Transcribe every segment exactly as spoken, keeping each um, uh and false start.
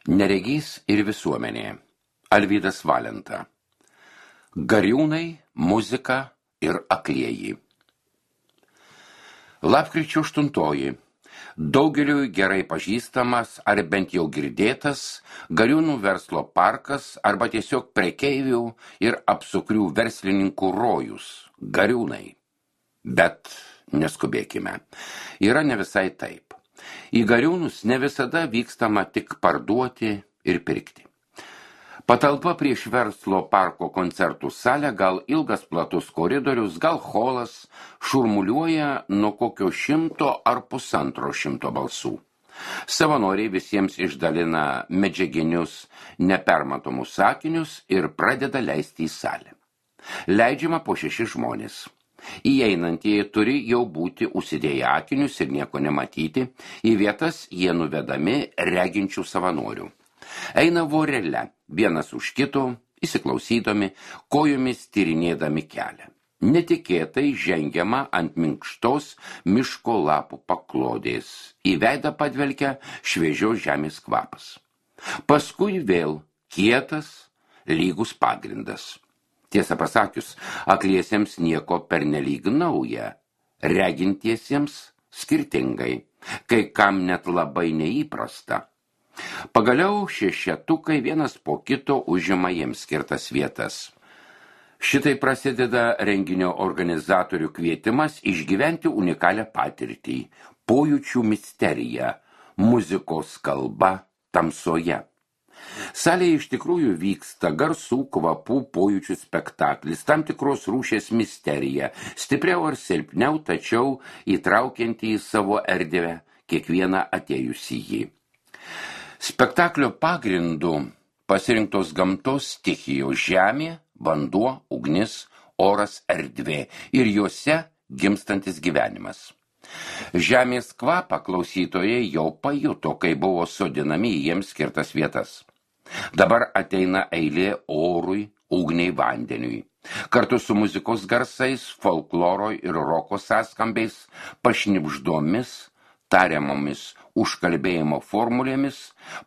Neregys ir visuomenė. Alvydas Valenta. Gariūnai, muzika ir aklieji. Lapkričio aštuntoji. Daugeliui gerai pažįstamas ar bent jau girdėtas Gariūnų verslo parkas arba tiesiog prekeivių ir apsukrių verslininkų rojus – Gariūnai. Bet neskubėkime. Yra ne visai taip. Į Gariūnus ne visada vykstama tik parduoti ir pirkti. Patalpa prieš verslo parko koncertų salę, gal ilgas platus koridorius, gal holas, šurmuliuoja nuo kokio šimto ar pusantro šimto balsų. Savanoriai visiems išdalina medžiaginius nepermatomus sakinius ir pradeda leisti į salę. Leidžiama po šešis žmonės. Įeinantieji turi jau būti užsidėję akinius ir nieko nematyti, į vietas jie nuvedami reginčių savanorių. Eina vorele, vienas už kito, įsiklausydami, kojomis tyrinėdami kelią. Netikėtai žengiama ant minkštos miško lapų paklodės, į veidą padvelkia šviežios žemės kvapas. Paskui vėl kietas, lygus pagrindas. Tiesą pasakius, akliesiems nieko pernelyg nauja, regintiesiems skirtingai, kai kam net labai neįprasta. Pagaliau šešetukai vienas po kito užima jiems skirtas vietas. Šitai prasideda renginio organizatorių kvietimas išgyventi unikalią patirtį, pojūčių misteriją, muzikos kalba tamsoje. Salėje iš tikrųjų vyksta garsų, kvapų, pojūčių spektaklis, tam tikros rūšies misterija, stipriau ar silpniau, tačiau įtraukianti į savo erdvę kiekvieną atėjusį jį. Spektaklio pagrindu pasirinktos gamtos stichijos žemė, vanduo, ugnis, oras, erdvė ir juose gimstantis gyvenimas. Žemės kvapą klausytojai jau pajuto, kai buvo sodinami į jiems skirtas vietas. Dabar ateina eilė orui, ugniai, vandeniui. Kartu su muzikos garsais, folkloro ir roko sąskambiais, pašnibždomis, tariamomis užkalbėjimo formulėmis,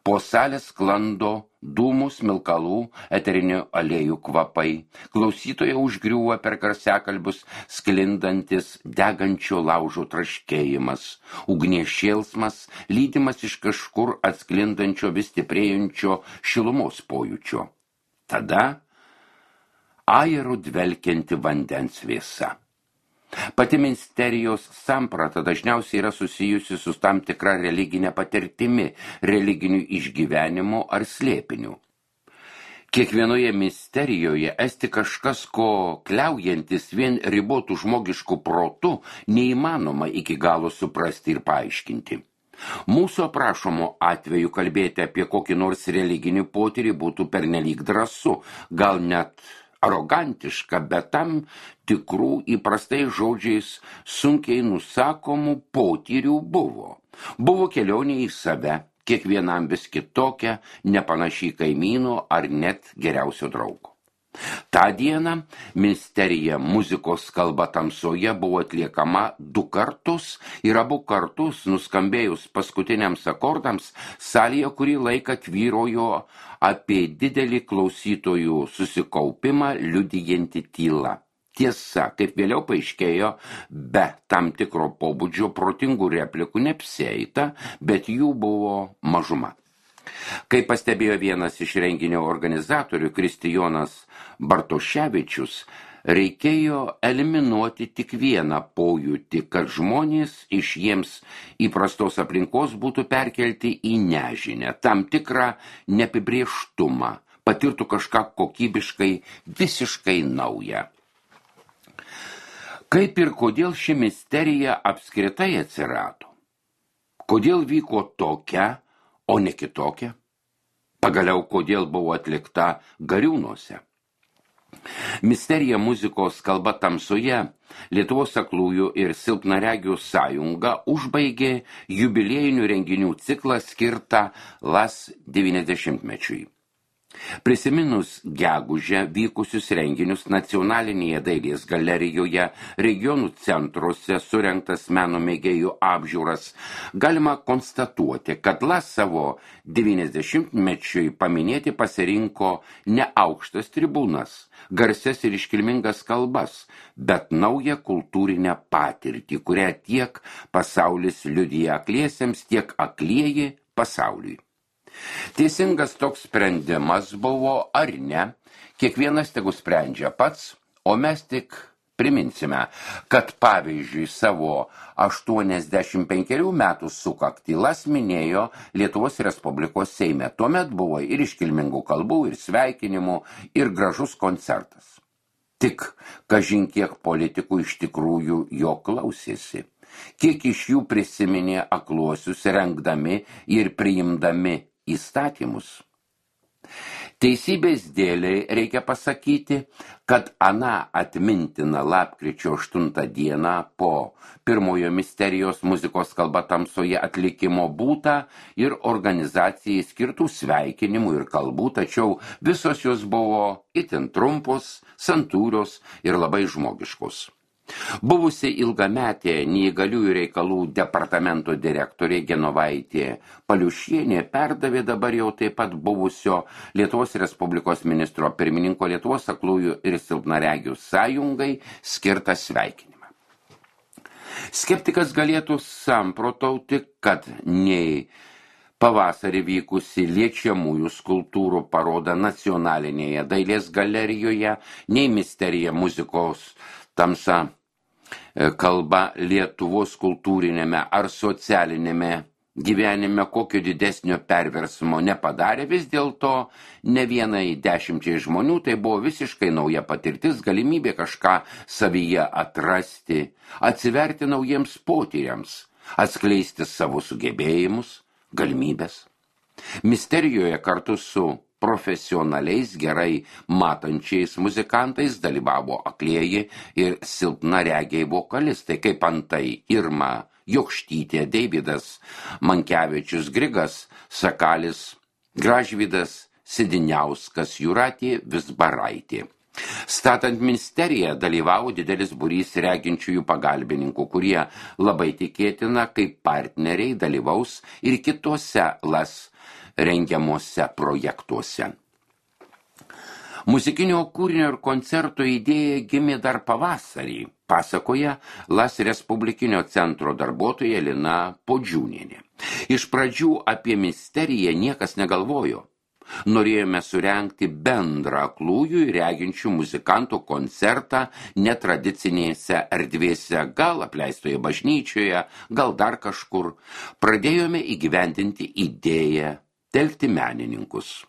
po salę sklando dūmų, smilkalų, eterinių aliejų kvapai. Klausytoje užgriūva per garsiakalbius sklindantis degančio laužo traškėjimas, ugnies šėlsmas, lydimas iš kažkur atsklindančio vis stiprėjančio šilumos pojūčio. Tada ajeru dvelkianti vandens vėsa. Pati misterijos samprata dažniausiai yra susijusi su tam tikra religinė patirtimi, religiniu išgyvenimu ar slėpiniu. Kiekvienoje misterijoje esti kažkas, ko kliaujantis vien ribotų žmogiškų protų, neįmanoma iki galo suprasti ir paaiškinti. Mūsų aprašomo atveju kalbėti apie kokį nors religinį potyrį būtų pernelyg drąsu, gal net arogantiška, bet tam tikrų įprastai žodžiais sunkiai nusakomų potyrių buvo. Buvo kelionė į save, kiekvienam vis kitokia, nepanašiai kaimyno ar net geriausio draugo. Ta diena misterija muzikos kalba tamsoje buvo atliekama du kartus ir abu kartus nuskambėjus paskutiniams akordams salėje kurį laiką tvyrojo apie didelį klausytojų susikaupimą liudijanti tyla. Tiesa, kaip vėliau paaiškėjo, be tam tikro pobūdžio protingų replikų neapsieita, bet jų buvo mažuma. Kaip pastebėjo vienas iš renginio organizatorių, Kristijonas Bartoševičius, reikėjo eliminuoti tik vieną pojūtį, kad žmonės iš jiems įprastos aplinkos būtų perkelti į nežinę, tam tikrą neapibrėžtumą, patirtų kažką kokybiškai, visiškai naują. Kaip ir kodėl ši misterija apskritai atsirado? Kodėl vyko tokia, o ne kitokia? Pagaliau, kodėl buvo atlikta Gariūnuose? Misterija muzikos kalba tamsoje Lietuvos aklųjų ir silpnaregių sąjunga užbaigė jubiliejinių renginių ciklą skirtą LAS devyniasdešimtmečiui. Prisiminus gegužę vykusius renginius nacionalinėje dailės galerijoje, regionų centruose surengtas meno mėgėjų apžiūras, galima konstatuoti, kad LAS savo devyniasdešimtmečiui paminėti pasirinko ne aukštas tribūnas, garsias ir iškilmingas kalbas, bet naują kultūrinę patirtį, kurią tiek pasaulis liudija akliesiems, tiek aklieji pasauliui. Teisingas toks sprendimas buvo ar ne, kiekvienas tegu sprendžia pats, o mes tik priminsime, kad pavyzdžiui savo aštuoniasdešimt penkerių metų sukaktį LAS minėjo Lietuvos Respublikos Seime. Tuomet buvo ir iškilmingų kalbų, ir sveikinimų, ir gražus koncertas. Tik kažin kiek politikų iš tikrųjų jo klausėsi. Kiek iš jų prisiminė akluosius rengdami ir priimdami įstatymus. Teisybės dėliai reikia pasakyti, kad aną atmintiną lapkričio aštuntą dieną po pirmojo misterijos muzikos kalba tamsoje atlikimo būta ir organizacijai skirtų sveikinimų ir kalbų, tačiau visos jos buvo itin trumpos, santūrios ir labai žmogiškos. Buvusi ilgametė neįgaliųjų reikalų departamento direktorė Genovaitė Paliušienė perdavė dabar jau taip pat buvusio Lietuvos Respublikos ministro pirmininko Lietuvos aklųjų ir silpnaregių sąjungai skirtą sveikinimą. Skeptikas galėtų samprotauti, kad nei pavasarį vykusi liečiamųjų skulptūrų paroda nacionalinėje dailės galerijoje, nei misterija muzikos tamsa kalba Lietuvos kultūrinėme ar socialinėme gyvenime kokio didesnio perversmo nepadarė, vis dėlto ne vienai dešimčiai žmonių tai buvo visiškai nauja patirtis, galimybė kažką savyje atrasti, atsiverti naujiems potyriams, atskleisti savo sugebėjimus, galimybės. Misterijoje kartu su profesionaliais gerai matančiais muzikantais dalyvavo aklieji ir silpnaregiai vokalistai, kaip antai Irma Jokštytė, Deividas Mankevičius, Grigas Sakalis, Gražvydas Sidiniauskas, Jūratė Vizbaraitė. Statant ministeriją dalyvavo didelis būrys reginčiųjų pagalbininkų, kurie labai tikėtina kaip partneriai dalyvaus ir kitose LAS rengiamuose projektuose. Muzikinio kūrinio ir koncerto idėja gimė dar pavasarį, pasakoja LAS Respublikinio centro darbuotoja Lina Podžiūnienė. Iš pradžių apie misteriją niekas negalvojo. Norėjome surengti bendrą aklųjų ir reginčių muzikantų koncertą netradicinėse erdvėse, gal apleistoje bažnyčioje, gal dar kažkur. Pradėjome įgyvendinti idėją telkti menininkus.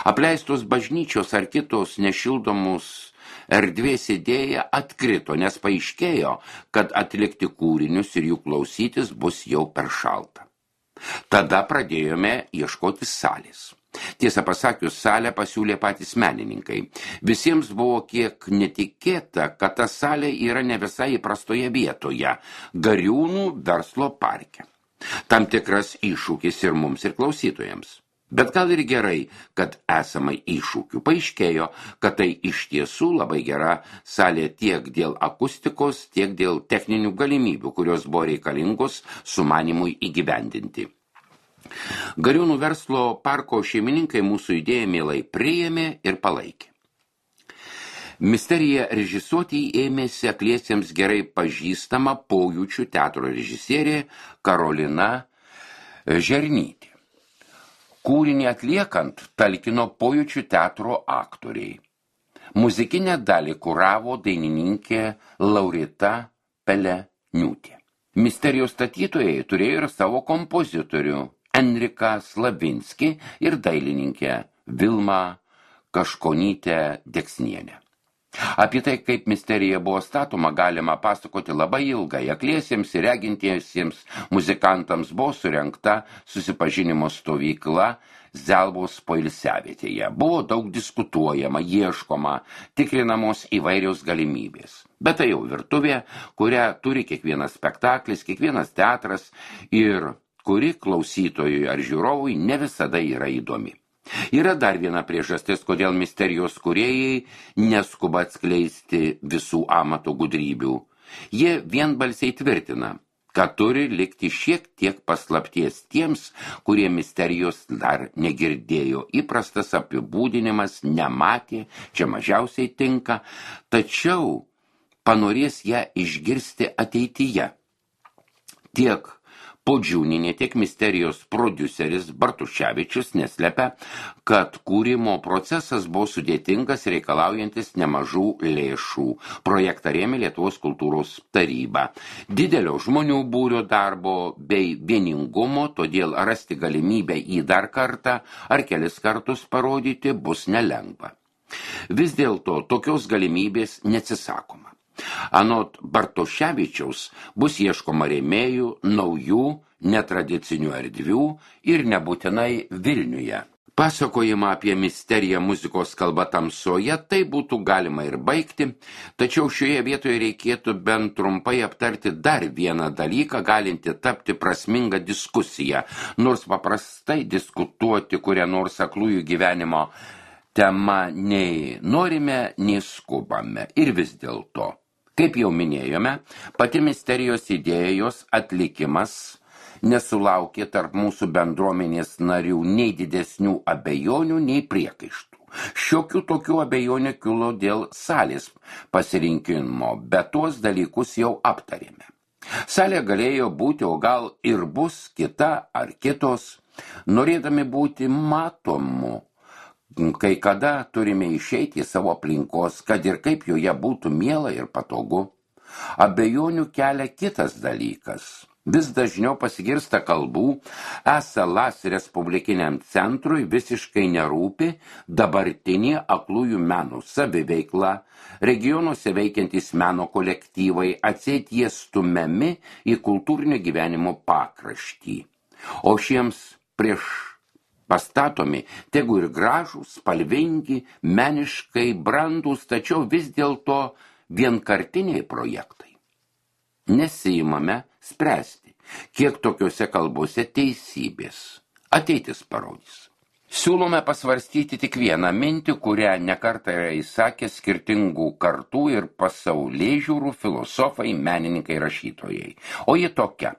Apleistos bažnyčios ar kitos nešildomus erdvės idėja atkrito, nes paaiškėjo, kad atlikti kūrinius ir jų klausytis bus jau per šalta. Tada pradėjome ieškoti salės. Tiesą pasakius, salę pasiūlė patys menininkai. Visiems buvo kiek netikėta, kad ta salė yra ne visai įprastoje vietoje – Gariūnų verslo parke. Tam tikras iššūkis ir mums, ir klausytojams. Bet gal ir gerai, kad esama iššūkių. Paaiškėjo, kad tai iš tiesų labai gera salė tiek dėl akustikos, tiek dėl techninių galimybių, kurios buvo reikalingos sumanimui įgyvendinti. Gariūnų verslo parko šeimininkai mūsų idėją mielai priėmė ir palaikė. Misteriją režisuoti ėmėsi akliesiems gerai pažįstama Pojūčių teatro režisierė Karolina Žernytė. Kūrinį atliekant talkino Pojūčių teatro aktoriai. Muzikinę dalį kuravo dainininkė Laurita Peleniūtė. Misterijos statytojai turėjo ir savo kompozitorių Enriką Slavinskį ir dailininkę Vilmą Kaškonytę Deksnienę. Apie tai, kaip misterija buvo statoma, galima pasakoti labai ilgai. Akliesiems ir regintiesiems muzikantams buvo surengta susipažinimo stovykla Zelvos poilsiavietėje. Buvo daug diskutuojama, ieškoma, tikrinamos įvairios galimybės. Bet tai jau virtuvė, kurią turi kiekvienas spektaklis, kiekvienas teatras ir kuri klausytojui ar žiūrovui ne visada yra įdomi. Yra dar viena priežastis, kodėl misterijos kūrėjai neskuba atskleisti visų amato gudrybių. Jie vienbalsiai tvirtina, kad turi likti šiek tiek paslapties tiems, kurie misterijos dar negirdėjo. Įprastas apibūdinimas nematė, čia mažiausiai tinka, tačiau panorės ją išgirsti ateityje. Tiek Podžiūnienė, tiek misterijos prodiuseris Bartuševičius neslepia, kad kūrimo procesas buvo sudėtingas, reikalaujantis nemažų lėšų. Projektą rėmė Lietuvos kultūros taryba. Didelio žmonių būrio darbo bei vieningumo, todėl rasti galimybę į dar kartą ar kelis kartus parodyti bus nelengva. Vis dėlto tokios galimybės neatsisakoma. Anot Bartuševičiaus bus ieškoma rėmėjų, naujų, netradicinių erdvių ir nebūtinai Vilniuje. Pasakojimą apie misteriją muzikos kalba tamsoje tai būtų galima ir baigti, tačiau šioje vietoje reikėtų bent trumpai aptarti dar vieną dalyką, galinti tapti prasmingą diskusiją, nors paprastai diskutuoti kurią nors aklųjų gyvenimo tema nei norime, nei skubame. Ir vis dėlto, kaip jau minėjome, pati misterijos idėjos atlikimas nesulaukė tarp mūsų bendruomenės narių nei didesnių abejonių, nei priekaištų. Šiokių tokių abejonių kilo dėl salės pasirinkimo, bet tuos dalykus jau aptarėme. Salė galėjo būti, o gal ir bus kita ar kitos, norėdami būti matomu. Kai kada turime išeiti į savo aplinkos, kad ir kaip joje būtų miela ir patogu. Abejonių kelia kitas dalykas. Vis dažniau pasigirsta kalbų, esą Las Respublikiniam centrui visiškai nerūpi dabartinė aklųjų menų saviveikla, regionuose veikiantys meno kolektyvai, atseit jie stumiami į kultūrinio gyvenimo pakraštį. O šiems prieš pastatomi, tegu ir gražūs, spalvingi, meniškai brandūs, tačiau vis dėlto vienkartiniai projektai. Nesiimame spręsti, kiek tokiuose kalbose teisybės. Ateitis parodys. Siūlome pasvarstyti tik vieną mintį, kurią nekartą yra įsakę skirtingų kartų ir pasaulėžiūrų filosofai, menininkai, rašytojai. O ji tokia.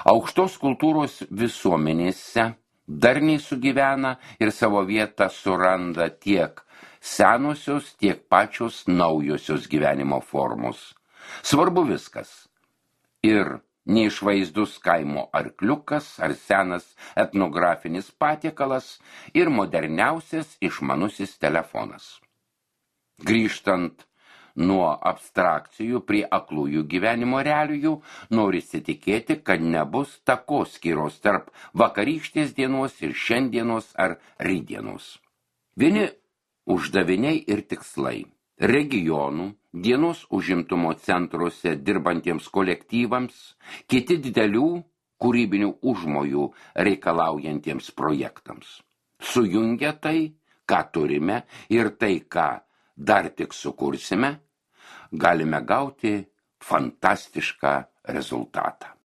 Aukštos kultūros visuomenėse darniai sugyvena ir savo vietą suranda tiek senosios, tiek pačios naujosios gyvenimo formos. Svarbu viskas. Ir neišvaizdus kaimo arkliukas ar senas etnografinis patiekalas ir moderniausias išmanusis telefonas. Grįžtant nuo abstrakcijų prie aklųjų gyvenimo realijų, norisi tikėti, kad nebus takoskyros tarp vakarykštės dienos ir šiandienos ar rytdienos. Vieni uždaviniai ir tikslai. Regionų, dienos užimtumo centruose dirbantiems kolektyvams, kiti didelių kūrybinių užmojų reikalaujantiems projektams. Sujungia tai, ką turime, ir tai, ką dar tik sukursime, galime gauti fantastišką rezultatą.